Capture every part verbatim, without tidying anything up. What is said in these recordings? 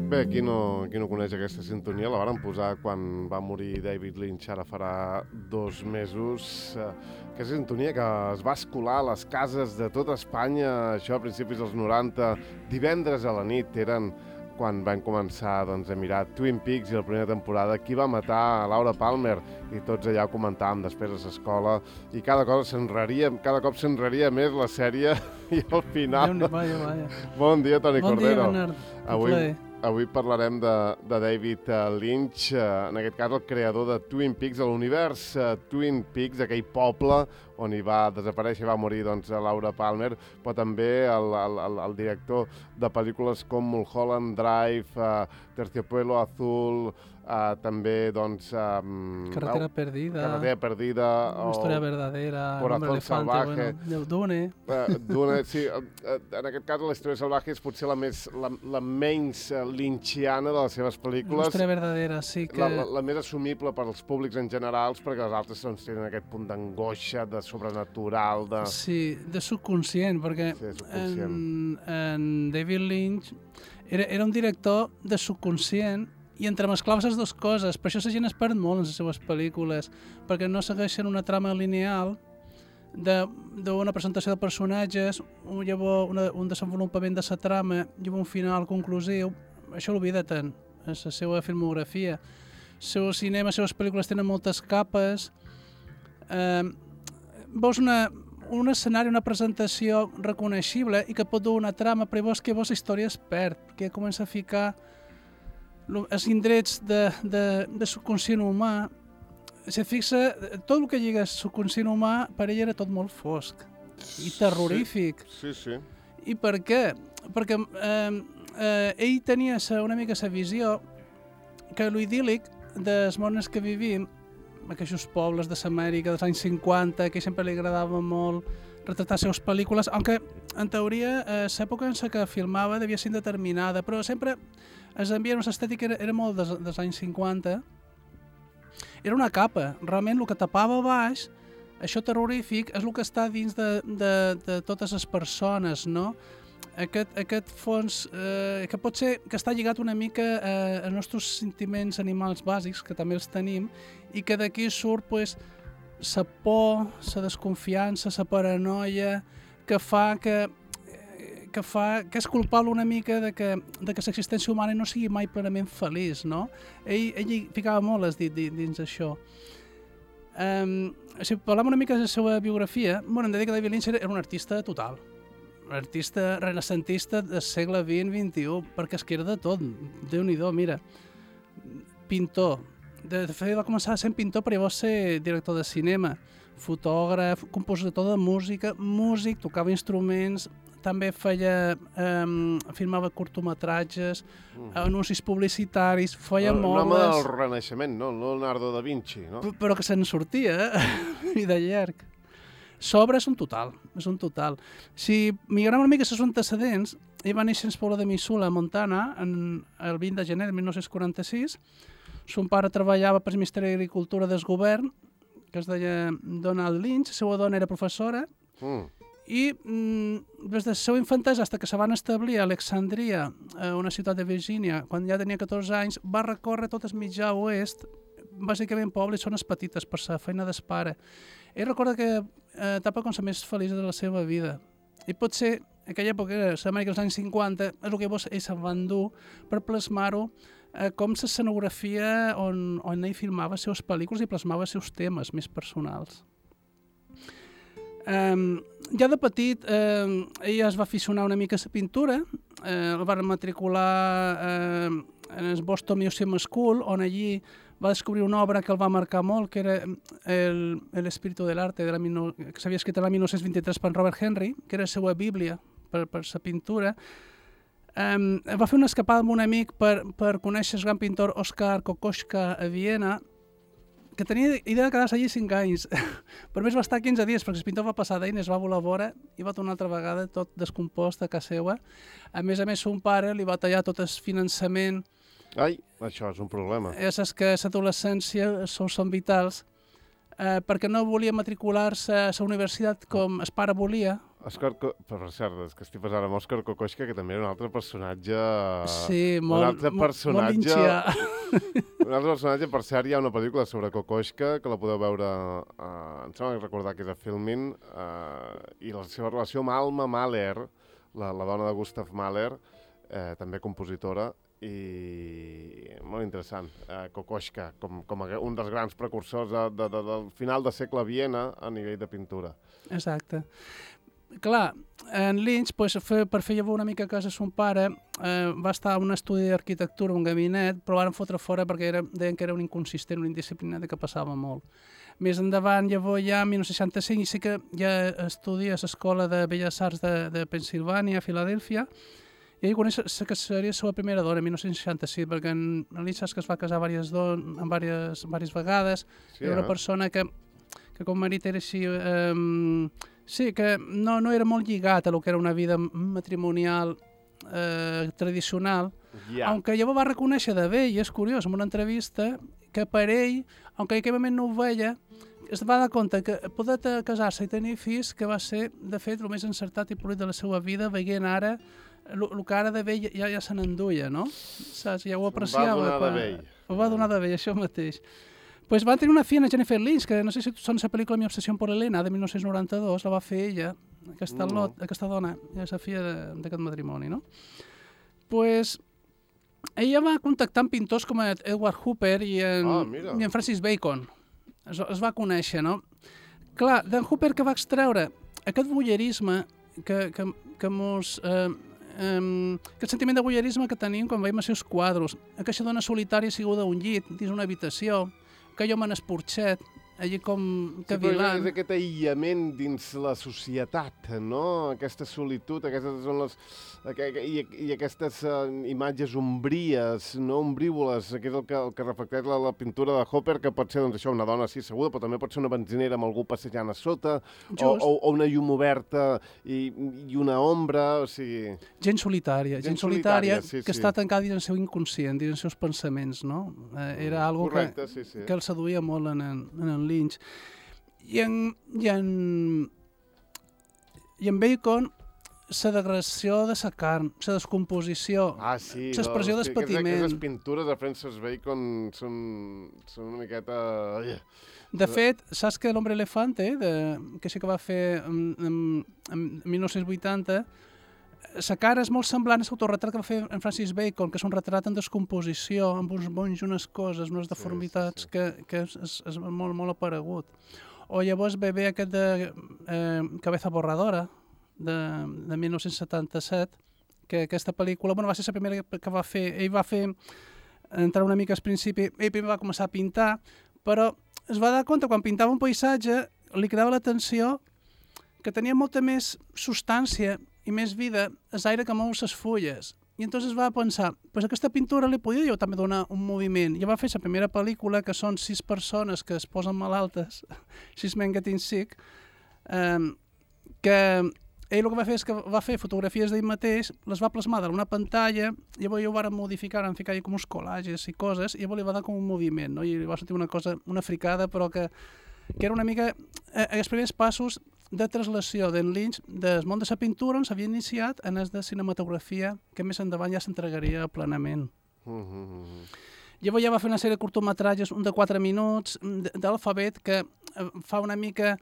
Bé, qui no, qui no coneix aquesta sintonia, la varen posar quan va morir David Lynch, ara farà dos mesos. Aquesta sintonia que es va escolar a les cases de tota Espanya, això a principis dels noranta, divendres a la nit, eren quan vam començar doncs, a mirar Twin Peaks i la primera temporada, qui va matar Laura Palmer, i tots allà ho comentàvem després a l'escola, i cada cosa s'enraria, cada cop s'enraria més la sèrie, i al final... Vaya, vaya. Bon dia, Toni bon Cordero. Bon dia, Bernard. Avui, avui parlarem de, de David Lynch, en aquest cas el creador de Twin Peaks, de l'univers Twin Peaks, aquell poble on hi va desaparèixer, va morir doncs, Laura Palmer, però també el, el, el director de pel·lícules com Mulholland Drive, uh, Terciopelo Azul, uh, també doncs... Um, Carretera oh, Perdida. Carretera Perdida. Una història verdadera. Corazón Salvaje. Bueno, Dune. Uh, Dune, sí. Uh, uh, en aquest cas, la història salvaje és potser la, més, la, la menys uh, lynchiana de les seves pel·lícules. Una història verdadera, sí que... La, la, la més assumible per als públics en generals, perquè les altres doncs, tenen aquest punt d'angoixa, de sobrenatural, de... Sí, de subconscient, perquè sí, subconscient. En, en David Lynch era, era un director de subconscient i entremesclava les dues coses. Per això la gent es perd molt en les seves pel·lícules, perquè no segueixen una trama lineal d'una presentació de personatges, un, llavors una, un desenvolupament de la trama i un final conclusiu. Això l'oblida tant en la seva filmografia. El seu cinema, les seves pel·lícules tenen moltes capes. Eh, veus una, un escenari, una presentació reconeixible i que pot dur una trama, però veus que veus la història es perd, que comença a ficar els indrets de, de, de subconscient humà. Si et fixa, tot el que lliga subconscient humà per ell era tot molt fosc i terrorífic. Sí, sí. sí. I per què? Perquè eh, eh, ell tenia una mica la visió que l'idíl·lic dels mons que vivim, aquests pobles de l'Amèrica dels anys cinquanta, que sempre li agradava molt retratar les seves pel·lícules, aunque en teoria eh, l'època en la que filmava devia ser indeterminada, però sempre els ambient, l'estètica era, era molt des, dels anys cinquanta. Era una capa, realment el que tapava baix, això terrorífic, és el que està dins de, de, de totes les persones, no? Aquest, aquest fons eh, que pot ser que està lligat una mica eh, als nostres sentiments animals bàsics, que també els tenim, i que d'aquí surt pues, la por, la desconfiança, la paranoia, que fa que, que fa que és culpable una mica de que, de que l'existència humana no sigui mai plenament feliç, no? Ell, ell ficava molt les dit dins això. Um, si parlem una mica de la seva biografia, bueno, hem de dir que David Lynch era un artista total, un artista renacentista del segle vint vint-i-u, perquè es que era de tot, Déu-n'hi-do, mira, pintor, de fet va començar sent pintor però llavors ser director de cinema, fotògraf, compositor de música, músic, tocava instruments, també feia, um, filmava curtometratges, mm. anuncis publicitaris, feia no, mobles... Un home del Renaixement, no? Leonardo da Vinci, no? P però que se'n sortia, eh? I de llarg. Sobre és un total, és un total. Si migrem una mica els seus antecedents, ell va néixer en el poble de Missoula, Montana, en el vint de gener de mil nou-cents quaranta-sis. Son pare treballava per el Ministeri d'Agricultura del govern, que es deia Donald Lynch, la seva dona era professora, mm. i mm, des del seu infantesa fins que se van establir a Alexandria, a una ciutat de Virgínia, quan ja tenia catorze anys, va recórrer tot el mitjà oest, bàsicament pobles zones petites per la feina del pare. Ell recorda que eh, etapa com la més feliç de la seva vida. I potser aquella època, l'Amèrica dels anys cinquanta, és el que llavors ell se'n va endur per plasmar-ho eh, com l'escenografia on, on ell filmava les seves pel·lícules i plasmava els seus temes més personals. Um, ja de petit, eh, ell es va aficionar una mica a la pintura, eh, el van matricular eh, en el Boston Museum School, on allí va descobrir una obra que el va marcar molt, que era el, el Espíritu del Arte, de la, que s'havia escrit l'any mil nou-cents vint-i-tres per Robert Henry, que era la seva bíblia per, per la pintura. Um, va fer una escapada amb un amic per, per conèixer el gran pintor Oskar Kokoschka a Viena, que tenia idea de quedar-se allí cinc anys. Per més va estar quinze dies, perquè el pintor va passar d'ell, es va volar a vora i va tornar altra vegada tot descompost a casa seva. A més a més, son pare li va tallar tot el finançament. Ai, això és un problema. Ja saps que l'adolescència són, són vitals, eh, perquè no volia matricular-se a la universitat com el pare volia, Òscar, per cert, és que estic passant amb Òscar Kokoschka, que també era un altre personatge... Sí, molt, un altre personatge, molt linxià. Un altre personatge, per cert, hi ha una pel·lícula sobre Kokoschka, que la podeu veure, uh, em sembla recordar que és a Filmin, uh, i la seva relació amb Alma Mahler, la, la dona de Gustav Mahler, eh, també compositora, i molt interessant. Uh, Kokoschka, com, com un dels grans precursors de, de, de, del final de segle a Viena a nivell de pintura. Exacte. Clar, en Lynch, pues, fer, per fer llavor una mica a casa son pare, eh, va estar a un estudi d'arquitectura, un gabinet, però van fotre fora perquè era, deien que era un inconsistent, un indisciplinat i que passava molt. Més endavant, llavors ja en dinou seixanta-cinc, i sí que ja estudia a l'Escola de Belles Arts de, de Pensilvània, a Filadèlfia, i ell coneix que seria la seva primera dona, en dinou seixanta-sis, perquè en, en Lynch saps que es va casar diverses, don, diverses, diverses vegades, sí, era una eh? persona que, que com marit era així... Eh, Sí, que no, no era molt lligat a lo que era una vida matrimonial eh, tradicional, yeah. Aunque llavors va reconèixer de bé, i és curiós, en una entrevista, que per ell, aunque en aquell moment no ho veia, es va dar compte que poder casar-se i tenir fills, que va ser, de fet, el més encertat i polit de la seva vida, veient ara el que ara de vell ja, ja se n'enduia, no? Saps? Ja ho apreciava. Ho va donar de vell. Ho va donar de vell, això mateix. Pues van tenir una filla, Jennifer Lynch, que no sé si sona la pel·lícula Mi obsessió per Helena, de dinou noranta-dos, la va fer ella, aquesta, no. lot, aquesta dona, és la filla d'aquest matrimoni, no? Pues ella va contactar amb pintors com Edward Hooper i en, ah, i en Francis Bacon. Es, es va conèixer, no? Clar, d'en Hooper que va extreure aquest voyeurisme que, que, que mos... Eh, Um, aquest sentiment de voyeurisme que tenim quan veiem els seus quadros, aquesta dona solitària asseguda a un llit, dins una habitació, aquell home en esporxet, allí com cavilant. Sí, és aquest aïllament dins la societat, no? Aquesta solitud, aquestes són les... I, i aquestes uh, imatges ombries, no ombrívoles, que és el que, el que reflecteix la, la pintura de Hopper, que pot ser, doncs, això, una dona així asseguda, però també pot ser una benzinera amb algú passejant a sota, o, o, o una llum oberta i, i una ombra, o sigui... Gent solitària, gent, gent solitària, solitària sí, que sí. Està tancada dins el seu inconscient, dins els seus pensaments, no? Eh, era algo Correcte, que, sí, sí. que el seduïa molt en en, en en Lynch. I en, i en, i en Bacon, la degradació de la carn, la descomposició, ah, sí, l'expressió no, d'espatiment. Aquestes pintures de Francis Bacon són, són una miqueta... De fet, saps que l'Hombre Elefante, de, que sí que va fer en, en, en dinou vuitanta, la cara és molt semblant a l'autorretrat que va fer en Francis Bacon, que és un retrat en descomposició, amb uns bonys, unes coses, unes deformitats, sí, sí, sí. que, que és, és, és molt, molt aparegut. O llavors ve bé aquest de eh, Cabeza Borradora, de, de dinou setanta-set, que aquesta pel·lícula, bueno, va ser la primera que va fer, ell va fer, entrar una mica al principi, ell primer va començar a pintar, però es va dar compte, quan pintava un paisatge, li cridava l'atenció que tenia molta més substància i més vida és aire que mou les fulles. I entonces va pensar, pues aquesta pintura li podia jo també donar un moviment. I va fer la primera pel·lícula, que són sis persones que es posen malaltes, sis men getting sick, eh, que ell el que va fer és que va fer fotografies d'ell mateix, les va plasmar en una pantalla, i llavors ho van modificar, van ficar com uns collages i coses, i llavors li va dar com un moviment, no? I li va sortir una cosa, una fricada, però que, que era una mica eh, els primers passos de translació d'en Lynch del món de la pintura, on s'havia iniciat en el de cinematografia, que més endavant ja s'entregaria plenament. Mm -hmm. Llavors ja va fer una sèrie de curtometratges, un de quatre minuts, d'alfabet, que fa una mica,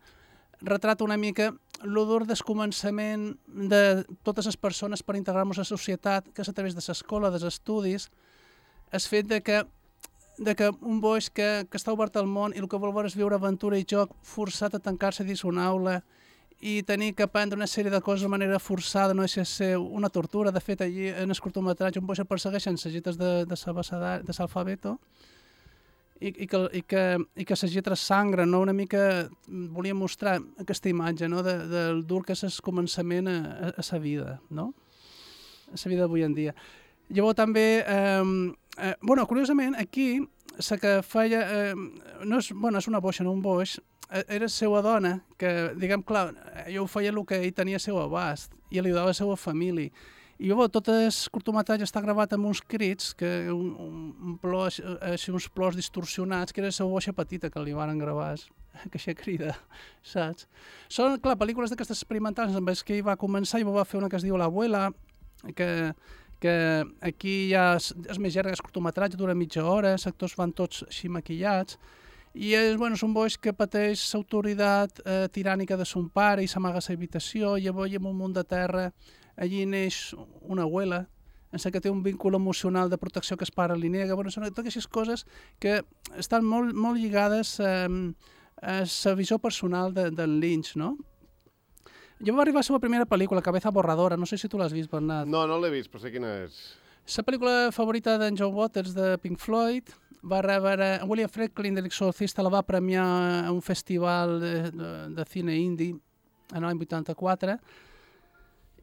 retrata una mica l'odor del començament de totes les persones per integrar-nos a la societat, que és a través de l'escola, dels estudis, el fet de que, de que un boix que, que està obert al món i el que vol veure és viure aventura i joc, forçat a tancar-se dins una aula i tenir que aprendre una sèrie de coses de manera forçada, no deixa de ser una tortura. De fet, allí en el curtometratge un boix el persegueixen les lletres de, de l'alfabeto, i, i que, i que, i que les lletres sangren, no? Una mica volia mostrar aquesta imatge, no? de, del dur que és el començament a, a sa vida, no? A la vida d'avui en dia. Llavors també, eh, eh, bueno, curiosament, aquí, la que feia, eh, no és, bueno, és una boixa, no un boix, eh, era la seva dona, que, diguem, clar, jo ho feia el que ell tenia al seu abast, i li ajudava a la seva família. I llavors tot el curtometratge està gravat amb uns crits, que un, un plor, així, uns plors distorsionats, que era la seva boixa petita que li van gravar que això crida, saps? Són, clar, pel·lícules d'aquestes experimentals amb les que ell va començar, i va fer una que es diu L'Abuela, que, que aquí ja és, és més llarga, és curtometratge, dura mitja hora, els actors van tots així maquillats, i és, bueno, és un boix que pateix l'autoritat eh, tirànica de son pare i s'amaga a la habitació, i llavors en un munt de terra allí neix una abuela, en la que té un vínculo emocional de protecció que es pare li nega. Bueno, són totes aquestes coses que estan molt, molt lligades eh, a la visió personal de, del Lynch, no? Jo va arribar a la seva primera pel·lícula, Cabeza Borradora, no sé si tu l'has vist, Bernat. No, no l'he vist, però sé quina és. La pel·lícula favorita d'en John Waters, de Pink Floyd, va rebre... William Friedkin, de l'Exorcista, la va premiar a un festival de, de, de cine indie en l'any vuitanta-quatre,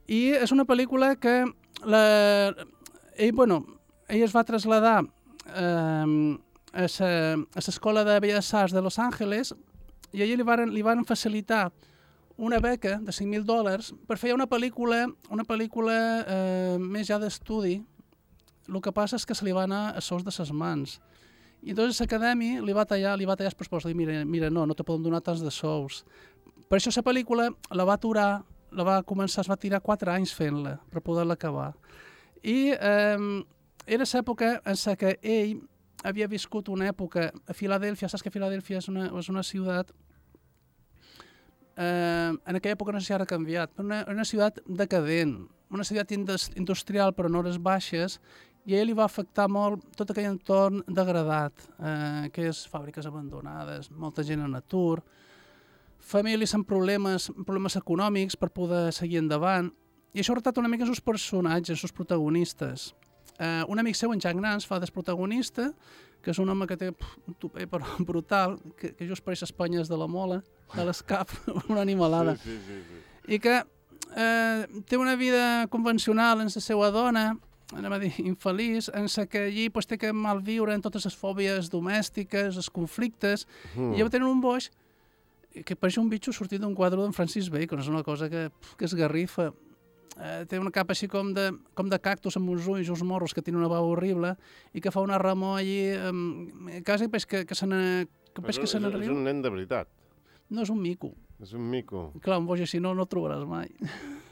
i és una pel·lícula que la, ell, bueno, ell es va traslladar eh, a l'escola de Belles Arts de Los Angeles, i allà li van, li van facilitar una beca de cinc mil dòlars per fer una pel·lícula, una pel·lícula eh, més ja d'estudi. El que passa és que se li va anar a sous de ses mans. I llavors l'acadèmia li va tallar, li va tallar el pressupost, li mira, mira, no, no te poden donar tants de sous. Per això la pel·lícula la va aturar, la va començar, es va tirar quatre anys fent-la per poder-la acabar. I eh, era l'època en la que ell havia viscut una època a Filadèlfia. Saps que Filadèlfia és una, és una ciutat, eh, en aquella època no sé si ara ha canviat, però una, una ciutat decadent, una ciutat industrial per hores baixes, i a ell li va afectar molt tot aquell entorn degradat, eh, que és fàbriques abandonades, molta gent en atur, famílies amb problemes, problemes econòmics per poder seguir endavant, i això ha retratat una mica els seus personatges, els seus protagonistes. Eh, un amic seu, en Jack Nance, fa desprotagonista, que és un home que té pff, un tupé però brutal, que, que just pareix Espanyes de la mola, de l'escap, una animalada, Sí, sí, sí, sí. i que eh, té una vida convencional amb la seva dona, anem a dir, infeliç, en la que allí pues, té que malviure en totes les fòbies domèstiques, els conflictes, mm. i llavors tenen un boix que pareix un bitxo sortit d'un quadre d'en Francis Bacon, és una cosa que, que es garrifa. Eh, té una capa així com de, com de cactus amb uns ulls, uns morros, que té una veu horrible, i que fa una remor allí, eh, quasi peix que, que se n'enriu. És, és un nen de veritat. No, és un mico. És un mico. Clar, un boix així no, no el trobaràs mai.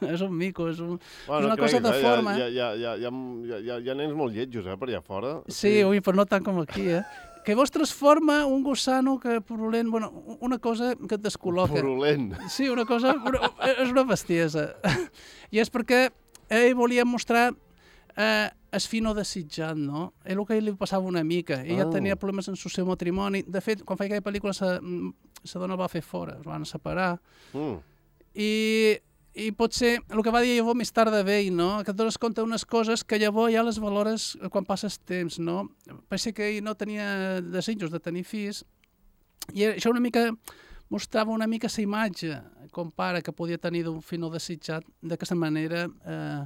És un mico, és, un, bueno, és una creguis, cosa de eh? forma. Hi ha, hi, ha, hi, ha, hi, ha, hi, ha, hi ha nens molt lletjos, eh, per allà fora. Sí, ui, però no tant com aquí, eh? Que vos transforma un gusano que purulent, bueno, una cosa que et descol·loca. Purulent. Sí, una cosa, una, és una bestiesa. I és perquè ell volia mostrar eh, es fi no desitjant, no? És el que ell li passava una mica. Ella oh. tenia problemes en el seu matrimoni. De fet, quan feia aquella pel·lícula, sa, sa dona el va fer fora, es van separar. Mm. I, I potser, el que va dir llavors més tard de vell, no? Que et dones compte d'unes coses que llavors ja les valores quan passes temps, no? Pensa que ell no tenia desitjos de tenir fills, i això una mica mostrava una mica la imatge, com pare, que podia tenir d'un fill no desitjat, d'aquesta manera eh,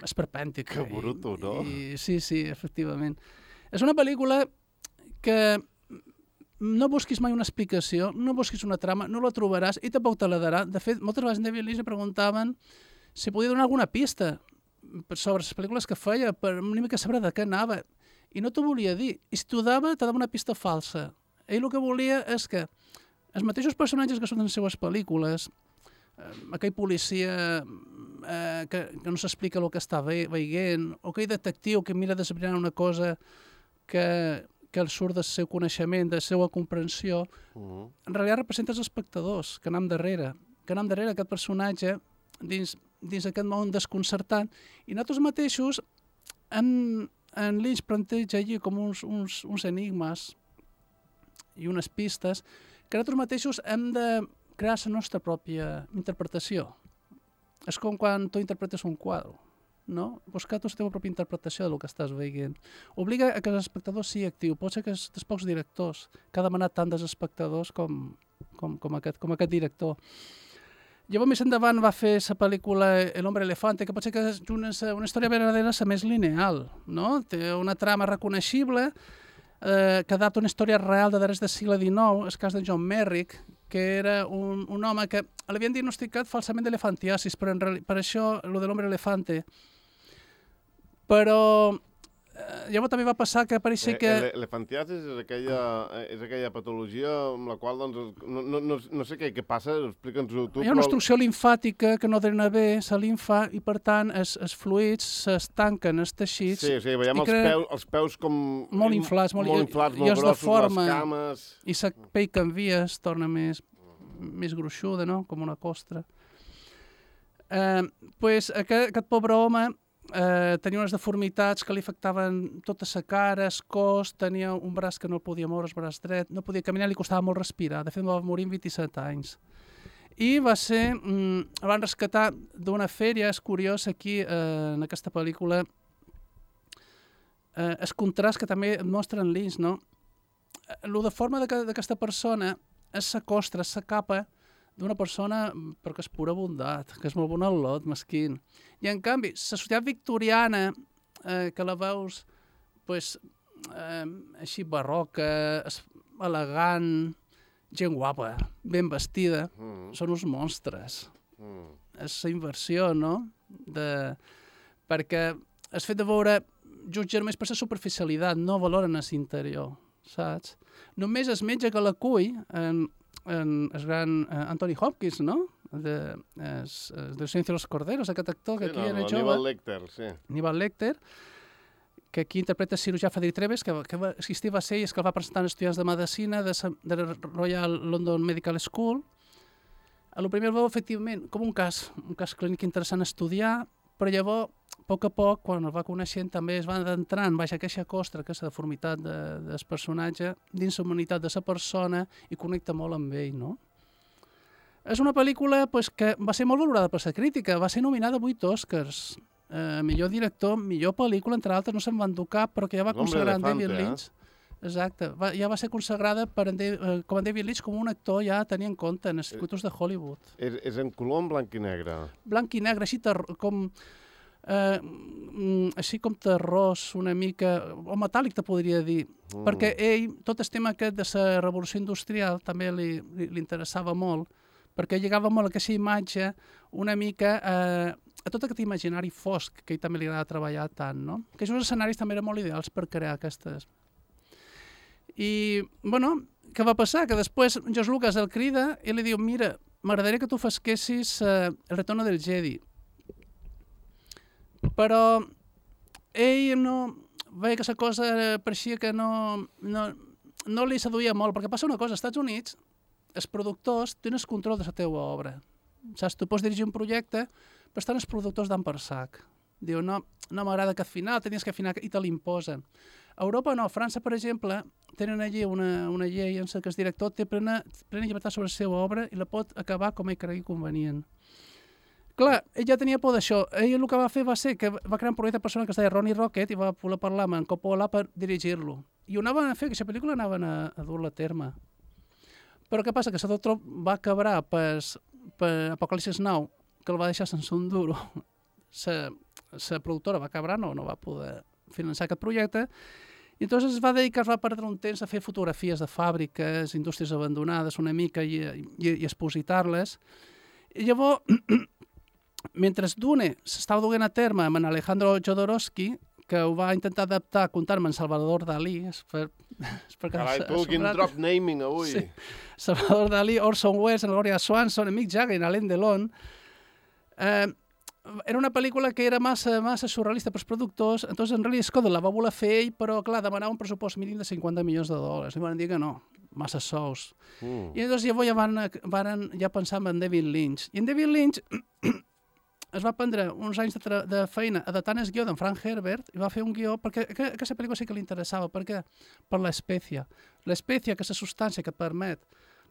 esperpèntica. Que bruto, no? I, sí, sí, efectivament. És una pel·lícula que no busquis mai una explicació, no busquis una trama, no la trobaràs i tampoc te la darà. De fet, moltes vegades en David Lynch li preguntaven si podia donar alguna pista sobre les pel·lícules que feia, per una mica saber de què anava. I no t'ho volia dir. I si t'ho dava, te dava una pista falsa. Ell el que volia és que els mateixos personatges que són en les seues pel·lícules, eh, aquell policia eh, que, que no s'explica el que està ve veient, o aquell detectiu que mira d'esbrinar una cosa que, que el surt del seu coneixement, de la seva comprensió, uh-huh. en realitat representa els espectadors que anem darrere, que anem darrere aquest personatge dins, dins aquest món desconcertant, i nosaltres mateixos en, en Lynch planteja allí com uns, uns, uns enigmes i unes pistes que nosaltres mateixos hem de crear la nostra pròpia interpretació. És com quan tu interpretes un quadre, no? Buscar tu la teva pròpia interpretació del que estàs veient. Obliga a que l'espectador sigui actiu. Pot ser que és dels pocs directors que ha demanat tant dels espectadors com, com, com, aquest, com aquest director. Llavors, més endavant, va fer la pel·lícula El hombre elefante, que pot ser que és una, una història verdadera la més lineal, no? Té una trama reconeixible, eh, que adapta una història real de darrers del segle dinou, el cas de John Merrick, que era un, un home que l'havien diagnosticat falsament d'elefantiasis, però en reali- per això, el de l'hombre elefante. Però eh, llavors també va passar que pareixia que... Eh, L'elefantiasis és aquella, és aquella patologia amb la qual, doncs, no, no, no, no sé què, què passa, explica'ns-ho tu. Hi ha una obstrucció limfàtica que no drena bé la limfa i, per tant, els, els fluids s'estanquen als teixits. Sí, sí, veiem els, crea... peus, els peus com... Molt inflats, molt, molt, inflats, molt grossos, forma, les cames... I la pell canvia, es torna més, més gruixuda, no? Com una costra. Eh, pues, aquest, aquest pobre home eh, tenia unes deformitats que li afectaven tota la cara, el cos, tenia un braç que no podia moure, el braç dret, no podia caminar, li costava molt respirar. De fet, va morir amb vint-i-set anys. I va ser... Mm, el van rescatar d'una fèria, és curiós, aquí, eh, en aquesta pel·lícula, eh, el contrast que també mostra en Lynch, no? Lo de forma d'aquesta persona és la costra, és la capa d'una persona perquè és pura bondat, que és molt bon al lot, mesquin. I en canvi, la societat victoriana, eh, que la veus pues, eh, així barroca, elegant, gent guapa, ben vestida, mm. són uns monstres. Mm. És la inversió, no? De... Perquè el fet de veure jutgen només per la superficialitat, no valoren l'interior, saps? Només el metge que l'acull, en, en el gran eh, Anthony Hopkins, no? De, es, es, de Silencio de los Corderos, aquest actor que sí, aquí no, era no, jove. Aníbal Lecter, sí. Aníbal Lecter, que aquí interpreta cirurgià Frederic Treves, que, que va, existir va ser i és que el va presentar en estudiants de medicina de, de la Royal London Medical School. A lo primer el veu, efectivament, com un cas, un cas clínic interessant a estudiar, però llavors, a poc a poc, quan el va coneixent, també es va entrant baix aquesta costra, aquesta deformitat de, del personatge, dins la humanitat de la persona i connecta molt amb ell, no? És una pel·lícula pues, que va ser molt valorada per la crítica, va ser nominada a vuit Oscars. Eh, millor director, millor pel·lícula, entre altres, no se'n van dur cap, però que ja va consagrar en David Lynch. Eh? Exacte, va, ja va ser consagrada per en de, eh, com en David Lynch com un actor ja a tenir en compte en els circuitos de Hollywood. És, és en color en blanc i negre? Blanc i negre, així ter com... Eh, així com terrós una mica, o metàl·lic te podria dir, mm. perquè ell, tot el tema aquest de la revolució industrial també li, li, li interessava molt, perquè lligava molt aquesta imatge una mica eh, a tot aquest imaginari fosc que ell també li agrada treballar tant, no? Que aquests escenaris també eren molt ideals per crear aquestes. I, bueno, què va passar? Que després George Lucas el crida i li diu, mira, m'agradaria que tu fesquessis eh, El retorno del Jedi. Però ell no... veia que la cosa pareixia que no, no, no li seduïa molt, perquè passa una cosa, als Estats Units els productors tenen el control de la teva obra. Saps? Tu pots dirigir un projecte, però estan els productors d'en per sac. Diu, no, no m'agrada aquest final, tenies que afinar, i te l'imposen. A Europa no, a França, per exemple, tenen allí una, una llei en què el director té plena, plena llibertat sobre la seva obra i la pot acabar com ell cregui convenient. Clar, ell ja tenia por d'això. Ell el que va fer va ser que va crear un projecte personal que es deia Ronnie Rocket i va poder parlar amb en Coppola per dirigir-lo. I ho anaven a fer, aquesta pel·lícula anaven a, a dur-la a terme. Però què passa? Que la Doctor va acabar per, per Apocalipsis Now, que el va deixar sense un duro. La productora va acabar, no, no va poder finançar aquest projecte, i llavors es va dedicar, es va perdre un temps a fer fotografies de fàbriques, indústries abandonades una mica i, i, i expositar-les. I llavors, mentre Dune s'estava duent a terme amb en Alejandro Jodorowsky, que ho va intentar adaptar comptant-me en Salvador Dalí. És per, és per Carai, tu, quin drop naming avui. Sí. Salvador Dalí, Orson Welles, Gloria Swanson, Mick Jagger, Alain Delon. Eh, era una pel·lícula que era massa, massa surrealista pels productors, entonces en Ridley Scott la va voler fer ell, però clar, demanava un pressupost mínim de cinquanta milions de dòlars. I van dir que no, massa sous. Mm. I llavors llavors ja van, van ja pensar en David Lynch. I en David Lynch es va prendre uns anys de, de feina adaptant el guió d'en Frank Herbert i va fer un guió, perquè que, aquesta pel·lícula sí que li interessava. Per què? Per l'espècia. L'espècia, que és la substància que permet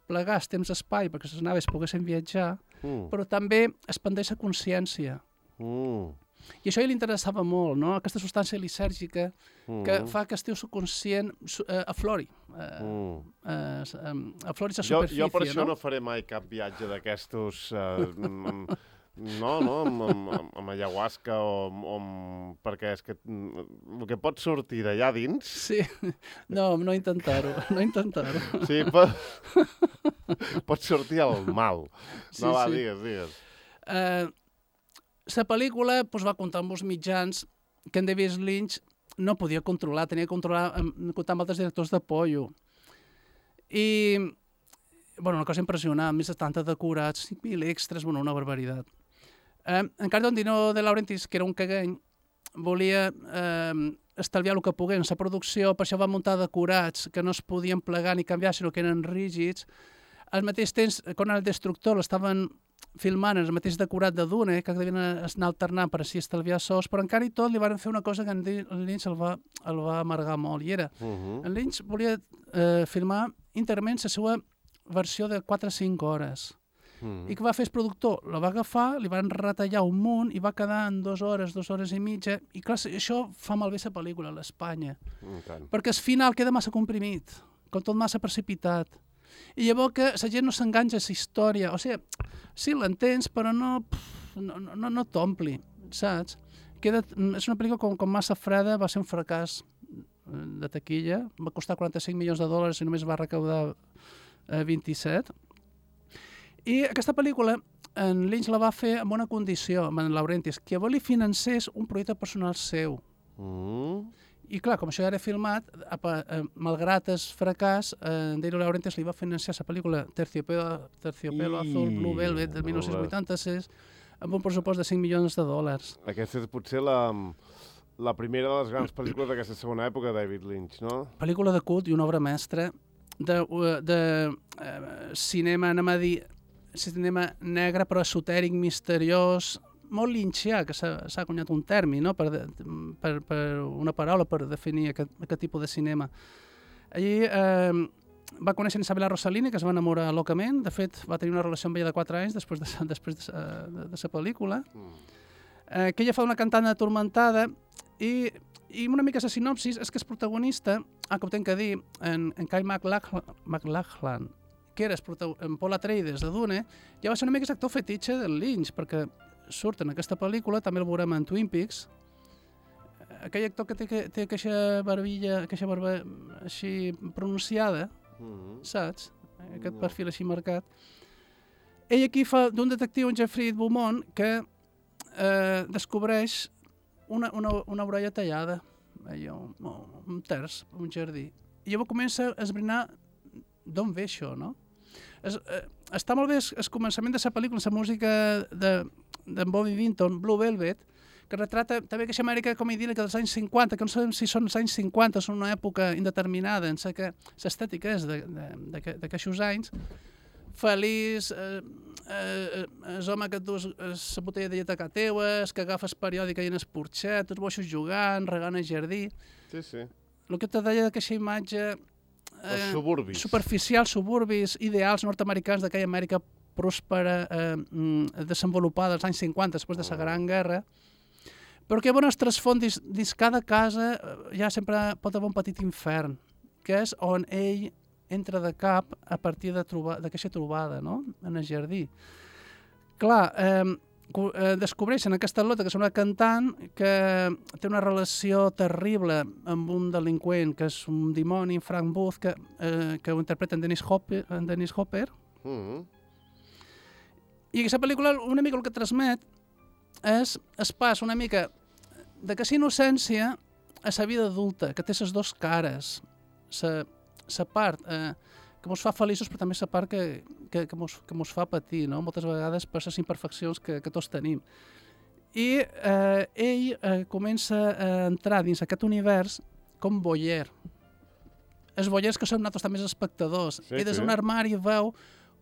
plegar el temps-espai perquè les naves poguessin viatjar, mm. però també expandeix la consciència. Mm. I això a ell li interessava molt, no? Aquesta substància lisèrgica mm. que fa que el teu subconscient uh, aflori. Uh, mm. uh, aflori la superfície. Jo, jo per això no? no faré mai cap viatge d'aquestos... Uh, No, no, amb, amb, amb ayahuasca o, o amb, perquè és que el que pot sortir d'allà dins... Sí, no, no intentar-ho, no intentar-ho. Sí, pot, pot sortir el mal. Sí, no, va, sí. digues, digues. Uh, la pel·lícula pues, va comptar amb els mitjans que en David Lynch no podia controlar, tenia que controlar, comptar amb altres directors de pollo. I, bueno, una cosa impressionant, més de setanta decorats, cinc mil extras, bueno, una barbaritat. Eh, encara Dino De Laurentiis, que era un cagany, volia eh, estalviar el que pogués en la producció, per això va muntar decorats que no es podien plegar ni canviar, sinó que eren rígids. Al mateix temps, quan el Destructor l'estaven filmant el mateix decorat de Dune, que devien anar alternant per així estalviar sous, però encara i tot li van fer una cosa que en Lynch el va, el va amargar molt, i era, uh -huh. en Lynch volia eh, filmar íntegrament la seva versió de quatre a cinc hores. Uh -huh. I què va fer el productor? La va agafar, li van retallar un munt i va quedar en dues hores, dues hores i mitja, i clar, això fa malbé la pel·lícula, l'Espanya, okay. perquè el final queda massa comprimit, com tot massa precipitat. I llavors que la gent no s'enganxa a la història, o sigui, sí, l'entens, però no, no, no, no t'ompli, saps? Queda, és una pel·lícula com, com massa freda, va ser un fracàs de taquilla, va costar quaranta-cinc milions de dòlars i només va recaudar eh, vint-i-set. I aquesta pel·lícula en Lynch la va fer amb una condició, amb en Laurentiis, que llavors li financés un projecte personal seu. Mm. I clar, com això ja era filmat, eh, malgrat el fracàs, eh, en Dino De Laurentiis li va financiar la pel·lícula Terciopelo, Terciopelo I... Azul, Blue Velvet, del dinou vuitanta-sis, amb un pressupost de cinc milions de dòlars. Aquesta és potser la, la primera de les grans pel·lícules d'aquesta segona època de David Lynch, no? Pel·lícula de cult i una obra mestra de, de, de uh, cinema, anem a dir, cinema negre però esotèric, misteriós, molt lynchià, que s'ha acunyat un termi, no? per, per, per una paraula per definir aquest, aquest tipus de cinema. Allí eh, va conèixer Isabella Rossellini, que es va enamorar locament. De fet, va tenir una relació amb ella de quatre anys després de, després de, de, de la pel·lícula. Eh, que ella fa una cantant atormentada i, i una mica la sinopsis és que el protagonista, ah, que ho tenc que dir, en, en Kyle MacLachlan, que era en Paul Atreides de Dune, ja va ser una mica l'actor fetitxe del Lynch, perquè surt en aquesta pel·lícula, també el veurem en Twin Peaks, aquell actor que té, que, té aquesta barbilla, aquesta barba així pronunciada, mm-hmm. saps? Aquest no. perfil així marcat. Ell aquí fa d'un detectiu, en Jeffrey Beaumont, que eh, descobreix una, una, una orella tallada, allò, un terç, un jardí. I llavors comença a esbrinar d'on ve això, no? Es, eh, està molt bé el començament de la pel·lícula, la música d'en de Bobby Vinton, Blue Velvet, que retrata també aquesta Amèrica com idíl·lica dels anys cinquanta, que no sabem si són els anys cinquanta o són una època indeterminada, en sé que l'estètica és d'aquests anys, feliç, eh, eh, el home que et dus la botella de llet a casa teua, que agafes periòdica i en el porxet, tots boixos jugant, regant el jardí. Sí, sí. El que te deia d'aquesta imatge eh, suburbis. superficial, suburbis, ideals nord-americans d'aquella Amèrica pròspera, eh, desenvolupada als anys cinquanta, després de la Gran Guerra, però que bon es transfon dins, dins cada casa ja sempre pot haver un petit infern, que és on ell entra de cap a partir d'aquesta trobada, no?, en el jardí. Clar, eh, descobreixen aquesta Lota, que és una cantant que té una relació terrible amb un delinqüent, que és un dimoni, Frank Booth, que, eh, que ho interpreta en Dennis Hopper. En Dennis Hopper. Mm-hmm. I aquesta pel·lícula una mica el que transmet és es pas una mica d'aquesta innocència a la vida adulta, que té les dues cares. La part eh, que ens fa feliços, però també la part que, que, que, mos, que mos fa patir, no? Moltes vegades per les imperfeccions que, que tots tenim. I eh, ell eh, comença a entrar dins aquest univers com voyeur. Els voyeurs que som nosaltres també els espectadors. Sí, I des d'un sí. armari veu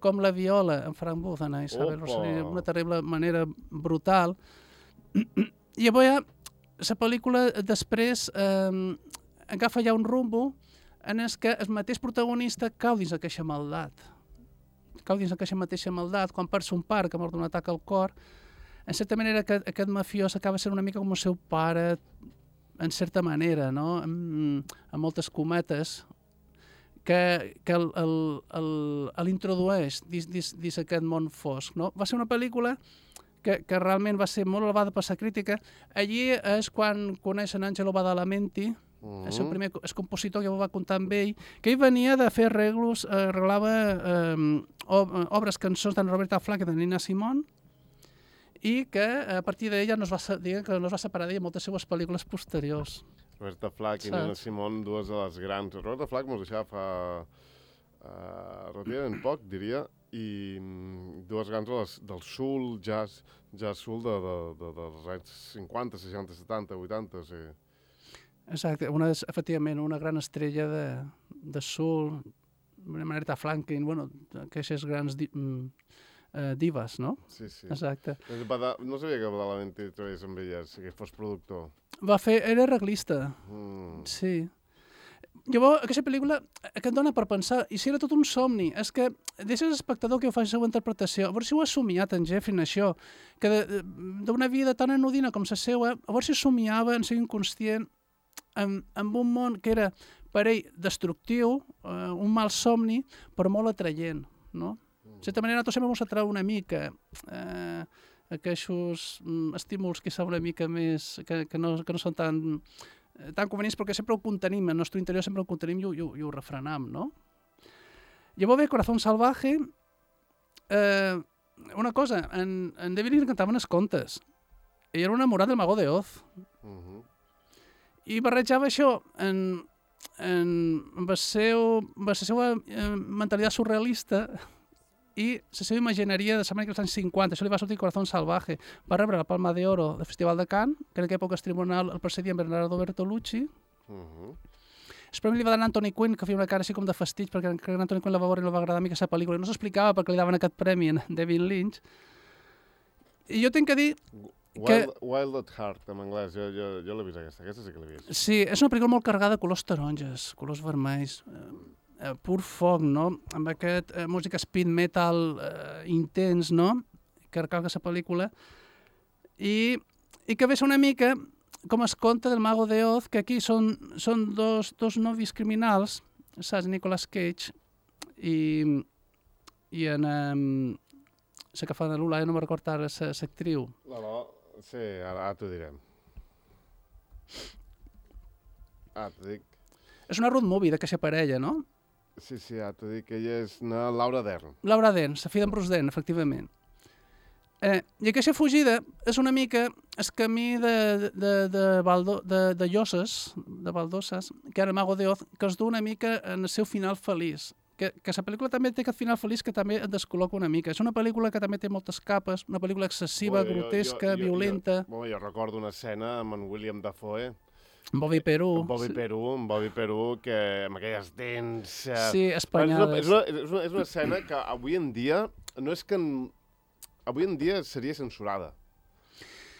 com la viola en Frank Booth, en Isabel Rossellini, d'una terrible manera brutal. I llavors ja, la pel·lícula després eh, agafa ja un rumbo en el que el mateix protagonista cau dins aquesta maldat. Cau dins aquesta mateixa maldat, quan perd son pare, que mor d'un atac al cor, en certa manera aquest, aquest mafiós acaba sent una mica com el seu pare, en certa manera, no? amb, amb moltes cometes, que, que l'introdueix dins, dins, dins aquest món fosc. No? Va ser una pel·lícula que, que realment va ser molt elevada per la crítica. Allí és quan coneixen Angelo Badalamenti, mm. el seu primer el compositor, que va comptar amb ell, que ell venia de fer arreglos, eh, arreglava eh, obres, cançons d'en Roberta Flack i de Nina Simone, i que a partir d'ella no es va, que no es va separar d'ella moltes seues pel·lícules posteriors. Roberta Flack i Saps? Nina Simone, dues de les grans. Roberta Flack mos deixava fa uh, relativament poc, diria, i mm, dues grans de les, del soul, jazz, jazz soul de, de, de, dels anys cinquanta, seixanta, setanta, vuitanta, sí. Exacte, una, efectivament, una gran estrella de, de soul, Aretha Franklin, bueno, aquestes grans di, mm, eh, divas, no? Sí, sí. Exacte. Bada, no sabia que Badalamenti treballés amb elles, que fos productor. Va fer, era arreglista, Mm. sí. Llavors, aquesta pel·lícula que et dona per pensar, i si era tot un somni, és que deixes l'espectador que ho faci la seva interpretació, a veure si ho ha somiat en Jeffrey, això, que d'una vida tan anodina com la seva, a veure si somiava en ser inconscient amb, amb un món que era per ell destructiu, eh, un mal somni, però molt atraient, no? De certa manera, nosaltres sempre ens atrau una mica eh, aquests mm, estímuls que són una mica més, que, que, no, que no són tan, eh, tan convenients, perquè sempre ho contenim, el nostre interior sempre ho contenim i ho, i ho, i ho refrenam, no? Llavors ve Corazón Salvaje, eh, una cosa, en, en David Lynch cantaven els contes, ell era un enamorat del Mago de Oz, Uh -huh. i barrejava això en, en, amb, el seu, amb la seva eh, mentalitat surrealista i la seva imagineria de l'Amèrica dels anys cinquanta. Això li va sortir Corazón Salvaje. Va rebre la Palma de Oro del Festival de Cannes, que en aquella època el tribunal el precedia en Bernardo Bertolucci. Uh -huh. El premi li va donar Anthony Quinn, que feia una cara així com de fastig, perquè Anthony Quinn la va veure i no va agradar mica la pel·lícula. I no s'explicava per què li daven aquest premi a David Lynch. I jo tinc que dir... Wild, que... Wild at Heart, en anglès, jo, jo, jo l'he vist aquesta, aquesta sí que l'he vist. Sí, és una pel·lícula molt carregada de colors taronges, colors vermells, eh, eh, pur foc, no? Amb aquest eh, música speed metal eh, intens, no? Que recalca la pel·lícula. I, i que ve una mica com es conta del Mago de Oz, que aquí són, són dos, dos novis criminals, saps? Nicolas Cage i, i en... Um, la que fa de Lula, jo no me'n recordo ara, l'actriu. No, no, sí, ara, ara t'ho direm. Ah, t'ho dic. És una road movie d'aquesta parella, no? Sí, sí, ara t'ho dic, ella és na Laura Dern. Laura Dern, la filla d'en Bruce Dern, efectivament. Eh, I aquesta fugida és una mica el camí de, de, de, Baldo, de, de Lloses, de Baldoses, que era el Mago de Oz, que es du una mica en el seu final feliç. Que, que la pel·lícula també té aquest final feliç que també et descol·loca una mica. És una pel·lícula que també té moltes capes, una pel·lícula excessiva, Bueno, grotesca, jo, jo, violenta. Jo, bueno, jo recordo una escena amb en William Dafoe, Bobby Perú. amb Bobby Perú, amb Bobby Perú, que amb aquelles dents... Eh... Sí, espanyades. És una, és, una, és, una, és una escena que avui en dia, no és que... En... Avui en dia seria censurada.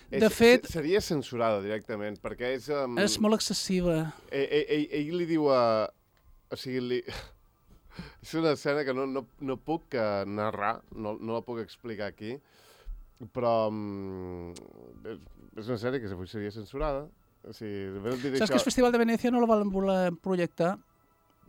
De és, fet... Seria censurada directament, perquè és... Um... És molt excessiva. Ell, ell, ell, ell li diu a... O sigui, li... És una escena que no, no, no puc uh, narrar, no, no la puc explicar aquí, però um, és, és una sèrie que avui seria censurada. O sigui, Saps això... que el Festival de Venècia no la van voler projectar?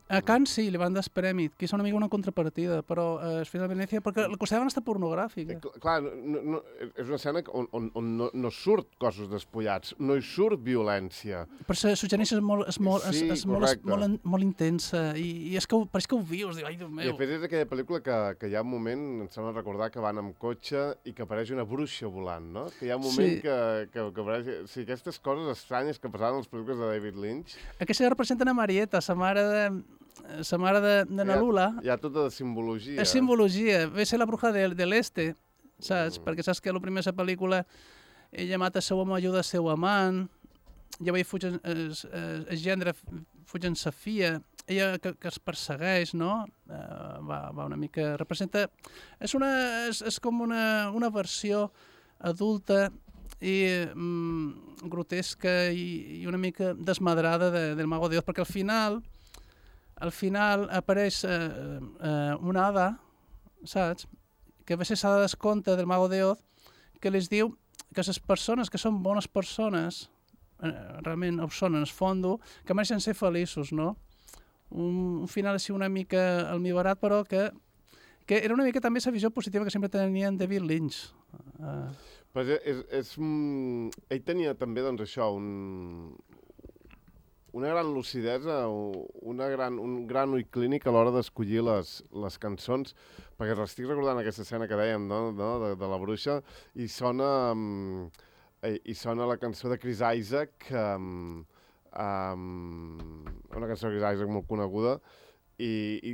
A Cannes sí, li van dar el premi, que és una mica una contrapartida, però eh, el Festival de Venècia, perquè la consideraven estar pornogràfica. Eh, clar, no, no, és una escena on, on, on no, no surt cossos despullats, no hi surt violència. Però la suggerència és molt, és molt, Sí, és, és molt, és correcte. molt, molt intensa, i, i és que ho, pareix que ho vius, diu, ai, Déu I meu. de fet és aquella pel·lícula que, que hi ha un moment, em sembla recordar, que van amb cotxe i que apareix una bruixa volant, no? Que hi ha un moment Sí. que, que, que apareix... O sigui, aquestes coses estranyes que passaven en les pel·lícules de David Lynch... Aquesta representen a Marieta, la mare de, la mare de, de na Lula. Hi ha, hi ha tota la simbologia. És simbologia, ve ser la bruja de, de l'este, saps? Mm. Perquè saps que a la primera pel·lícula ella mata el seu home, ajuda el seu amant, llavors fugen, el, el gendre fugen sa filla, ella que, que es persegueix, no? Uh, va, va una mica... Representa... És, una, és, és com una, una versió adulta i mm, grotesca i, i una mica desmadrada de, del Mago de Oz, perquè al final... Al final apareix eh, eh, una hada, saps? Que a vegades s'ha de descompte del Mago de Oz, que les diu que les persones que són bones persones, eh, realment ho són en el fondo, que mereixen ser feliços, no? Un, un final així una mica almibarat, però que, que era una mica també la visió positiva que sempre tenia en David Lynch. Uh, Però és, és, és, mm, ell tenia també, doncs, això, un, una gran lucidesa, una gran, un gran ull clínic a l'hora d'escollir les, les cançons, perquè estic recordant aquesta escena que dèiem, no? No? De, de la bruixa, i sona, um, i sona la cançó de Chris Isaac, um, um, una cançó que és Isaac molt coneguda, i, i,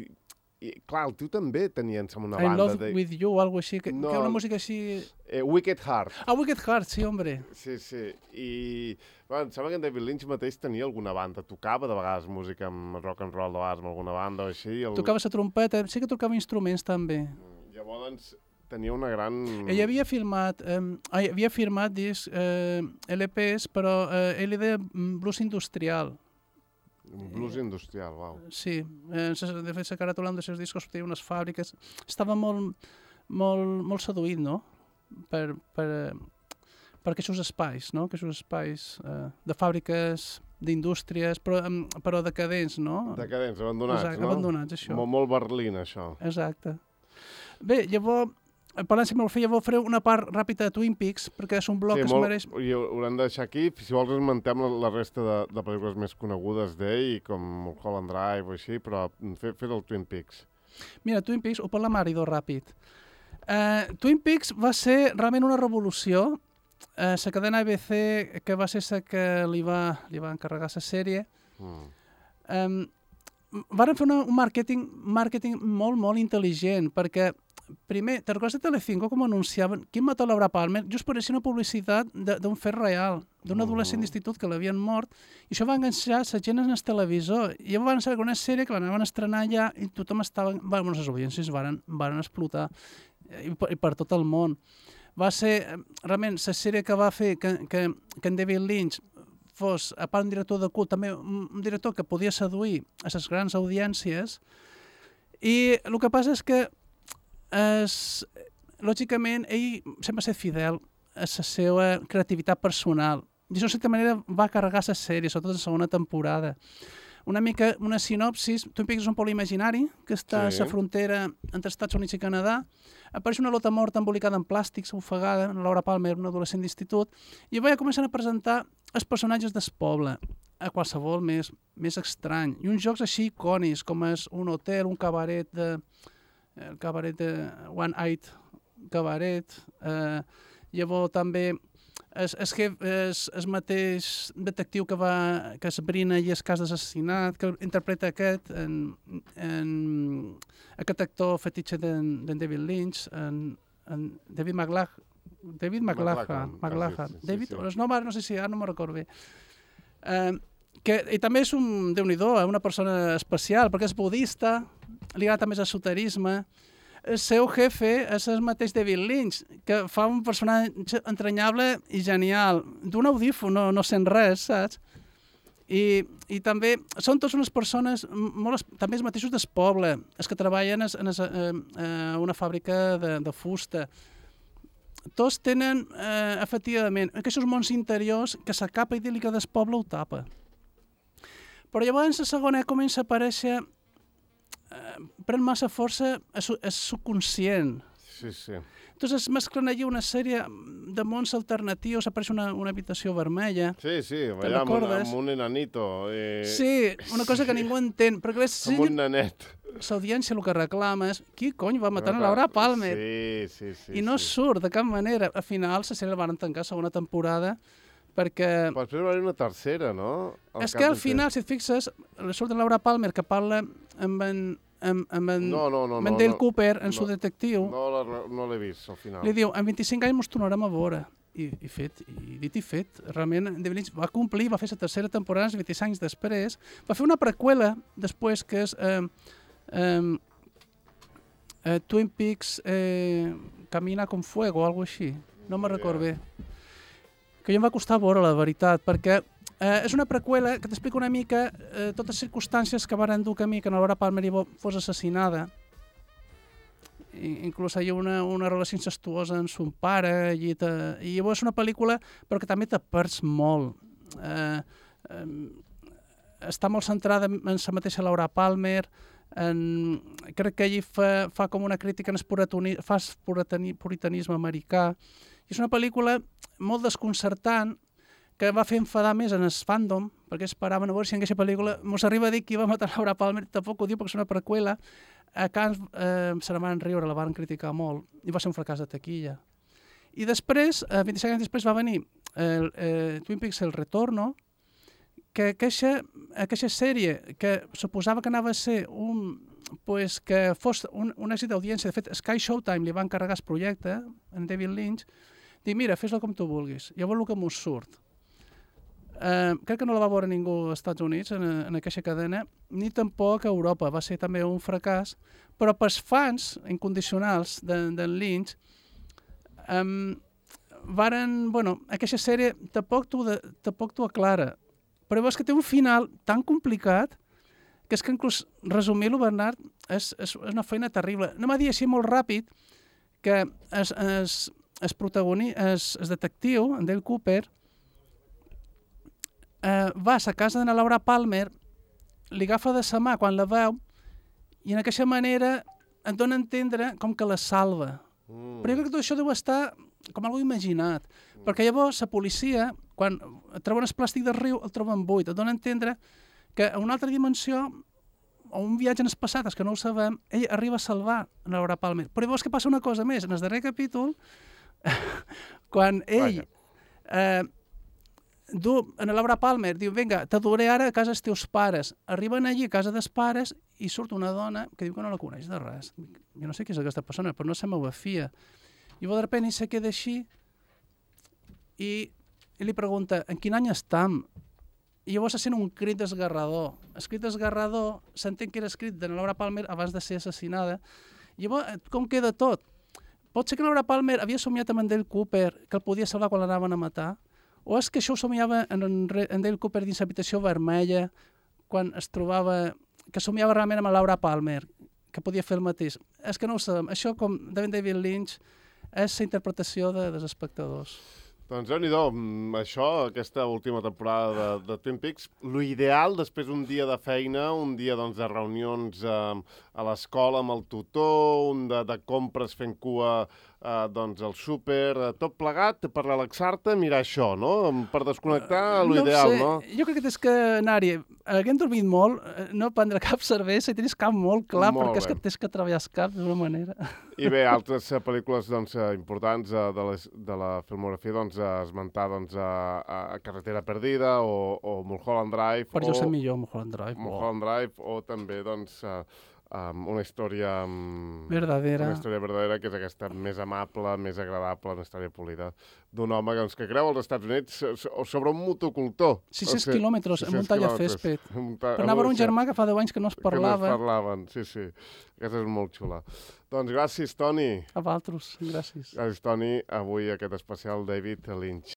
i clar, el tio també tenia, em sembla, una I banda... Love de... With You o alguna cosa així, que, No, que una música així... Eh, Wicked Heart. Ah, Wicked Heart, sí, hombre. Sí, sí, i bueno, em sembla que en David Lynch mateix tenia alguna banda, tocava de vegades música amb rock and roll, de vegades amb alguna banda o així. El... Tocava la trompeta, sí que tocava instruments també. Llavors tenia una gran... Ell havia filmat, eh, havia firmat disc, eh, L Ps, però eh, ell deia blues industrial. Un blues industrial, uau. Sí, eh, de fet la caràtula dels seus discos tenia unes fàbriques. Estava molt, molt, molt seduït, no?, per, per, per aquests espais, no?, aquests espais eh, de fàbriques, d'indústries, però, però decadents, no? Decadents, abandonats, Exacte, no? abandonats, això. Molt, molt Berlín, això. Exacte. Bé, llavors, parlant si me'l feia, faré una part ràpida de Twin Peaks, perquè és un bloc sí, que molt, es mereix... I ho haurem de deixar aquí. Si vols esmentem la, la resta de, de pel·lícules més conegudes d'ell, com Mulholland Drive o així, però fer, fer el Twin Peaks. Mira, Twin Peaks, ho parla Marido ràpid. Uh, Twin Peaks va ser realment una revolució. Uh, la cadena A B C, que va ser la que li va, li va encarregar la sèrie, mm. um, varen fer una, un màrqueting màrqueting molt, molt intel·ligent, perquè primer, te'n recordes de Telecinco com anunciaven qui mató Laura Palmer? Just pareixia una publicitat d'un fet real, d'un adolescent d'institut que l'havien mort, i això va enganxar la gent en el televisor. I llavors van saber una sèrie que l'anaven a estrenar allà i tothom estava... Bueno, les audiències varen, varen explotar i per, i per tot el món. Va ser, realment, la sèrie que va fer que, que, que en David Lynch fos, a part un director de cult, també un director que podia seduir a les grans audiències, i el que passa és que Es, lògicament, ell sempre ha estat fidel a la seva creativitat personal. I això, de certa manera, va carregar la sèrie, sobretot la segona temporada. Una mica, una sinopsis, Twin Peaks és un poble imaginari que està sí. a la frontera entre Estats Units i Canadà. Apareix una lota morta embolicada en plàstics, ofegada, Laura Palmer, una adolescent d'institut, i va començar a presentar els personatges del poble, a qualsevol més, més estrany. I uns jocs així icònics, com és un hotel, un cabaret de... el cabaret de One Eyed Cabaret, eh, llavors també el, el, el, el mateix detectiu que va que esbrina i el cas d'assassinat, que interpreta aquest, en, en, aquest actor fetitxe d'en David Lynch, en, en David McLachlan, David McLachlan, McLachlan. Sí, sí, David, sí, sí. No, no sé si ara no me'n recordo bé. Eh, que, I també és un, déu-n'hi-do, una persona especial, perquè és budista, li agrada també l'esoterisme. El seu jefe és el mateix David Lynch, que fa un personatge entranyable i genial. D'un audífon, no, no sent res, saps? I, i també són tots unes persones, molt, també els mateixos del poble, els que treballen en, en, en una fàbrica de, de fusta. Tots tenen, eh, efectivament, aquests mons interiors que la capa idíl·lica del poble ho tapa. Però llavors la segona comença a aparèixer pren massa força és subconscient. Sí, sí. Entonces es mesclen allí una sèrie de mons alternatius, apareix una, una habitació vermella. Sí, sí, allà amb, un, amb un enanito. Eh... Sí, una cosa que ningú entén. Perquè si amb un nanet. L'audiència el que reclama és qui cony va matar a Laura Palmer? Sí, sí, sí. I no sí. surt de cap manera. Al final la sèrie la van tancar segona temporada perquè... Però després va haver una tercera, no? Al és que al final, si et fixes, surt de Laura Palmer que parla amb en, amb, amb en, no, no, no, amb en no, Dale no, Cooper, en no, su detectiu. No, no, no l'he vist, al final. Li diu, en vint-i-cinc anys mos tornarem a veure. I, i fet, i dit i fet. Realment, David Lynch va complir, va fer la tercera temporada, vint-i-cinc anys després. Va fer una preqüela, després, que és eh, eh, eh, Twin Peaks eh, Camina con Fuego, o alguna cosa així. No me'n recordo bé. Que a mi em va costar veure, la veritat, perquè eh, és una preqüela que t'explica una mica eh, totes les circumstàncies que van dur camí que Laura Palmer fos assassinada. I, inclús hi ha una, una relació incestuosa amb son pare, i, te, i llavors és una pel·lícula però que també te perds molt. Eh, eh, està molt centrada en la mateixa Laura Palmer, en, crec que allí fa, fa com una crítica en el puritani, fa el puritanisme americà. I és una pel·lícula molt desconcertant que va fer enfadar més en el fandom, perquè esperaven a veure si en aquesta pel·lícula mos arriba a dir qui va matar Laura Palmer, tampoc ho diu perquè és una preqüela. A Cannes eh, se la van riure, la van criticar molt, i va ser un fracàs de taquilla. I després, eh, vint-i-cinc anys després, va venir el, eh, Twin Peaks El Retorno, que aquesta, aquesta sèrie, que suposava que anava a ser un, pues, que fos un, un èxit d'audiència, de fet, Sky Showtime li va encarregar el projecte, en David Lynch, dic, mira, fes-lo com tu vulguis, llavors el que m'ho surt. Uh, crec que no la va veure ningú als Estats Units en, en aquesta cadena, ni tampoc a Europa, va ser també un fracàs, però pels fans incondicionals d'en de Lynch, um, varen, bueno, aquesta sèrie tampoc t'ho aclara, però veus que té un final tan complicat que és que inclús resumir-lo, Bernat, és, és una feina terrible. No m'ha dit així molt ràpid que es, es, es protagonista, es, es detectiu, en Dale Cooper, Uh, va a la casa de la Laura Palmer, li agafa de sa mà quan la veu i en aquesta manera et dona a entendre com que la salva. Mm. Però jo crec que tot això deu estar com algo imaginat, mm. perquè llavors la policia, quan troben el plàstic del riu, el troben buit, et dona a entendre que a una altra dimensió o un viatge en el passat, és que no ho sabem, ell arriba a salvar a Laura Palmer. Però llavors que passa una cosa més, en el darrer capítol, quan ell... Eh, Du, en Laura Palmer diu, vinga, t'adoré ara a casa dels teus pares. Arriben allí a casa dels pares i surt una dona que diu que no la coneix de res. Jo no sé qui és aquesta persona, però no se m'ho fia. I de repente se queda així i, i li pregunta, en quin any estam? I llavors se sent un crit desgarrador. El crit desgarrador s'entén que era escrit de Laura Palmer abans de ser assassinada. I llavors, com queda tot? Pot ser que Laura Palmer havia somiat amb en Dale Cooper que el podia salvar quan l'anaven a matar? O és que això ho somiava en, en Dale Cooper dins l'habitació vermella, quan es trobava... que somiava realment amb Laura Palmer, que podia fer el mateix. És que no ho sabem. Això, com David Lynch, és la interpretació de, dels espectadors. Doncs déu-n'hi-do, això, aquesta última temporada de, de Twin Peaks, l'ideal després d'un dia de feina, un dia doncs, de reunions eh, a l'escola amb el tutor, un de, de compres fent cua eh, doncs, al súper, eh, tot plegat per relaxar-te, mirar això, no? Per desconnectar, l'ideal, no? no? Jo crec que tens que anar-hi, haguem dormit molt, no prendre cap cervesa i tens cap molt clar, molt perquè bé. És que tens que treballar el cap d'una manera. I bé, altres uh, pel·lícules doncs, uh, importants uh, de, les, de la filmografia, doncs, uh, esmentar doncs, uh, uh, Carretera Perdida o, o Mulholland Drive. Per jo sé millor Mulholland Drive. Mulholland Drive, o també doncs, uh, um, una història... Um, verdadera. Una història verdadera, que és aquesta més amable, més agradable, una història polida, d'un home doncs, que creu als Estats Units sobre un motocultor. sis-cents quilòmetres en un tallafèsped. Per anar a veure un germà que fa deu anys que no es parlava. Que no es parlaven, sí, sí. Aquesta és molt xula. Doncs gràcies, Toni. A vosaltres, gràcies. Gràcies, Toni. Avui aquest especial David Lynch.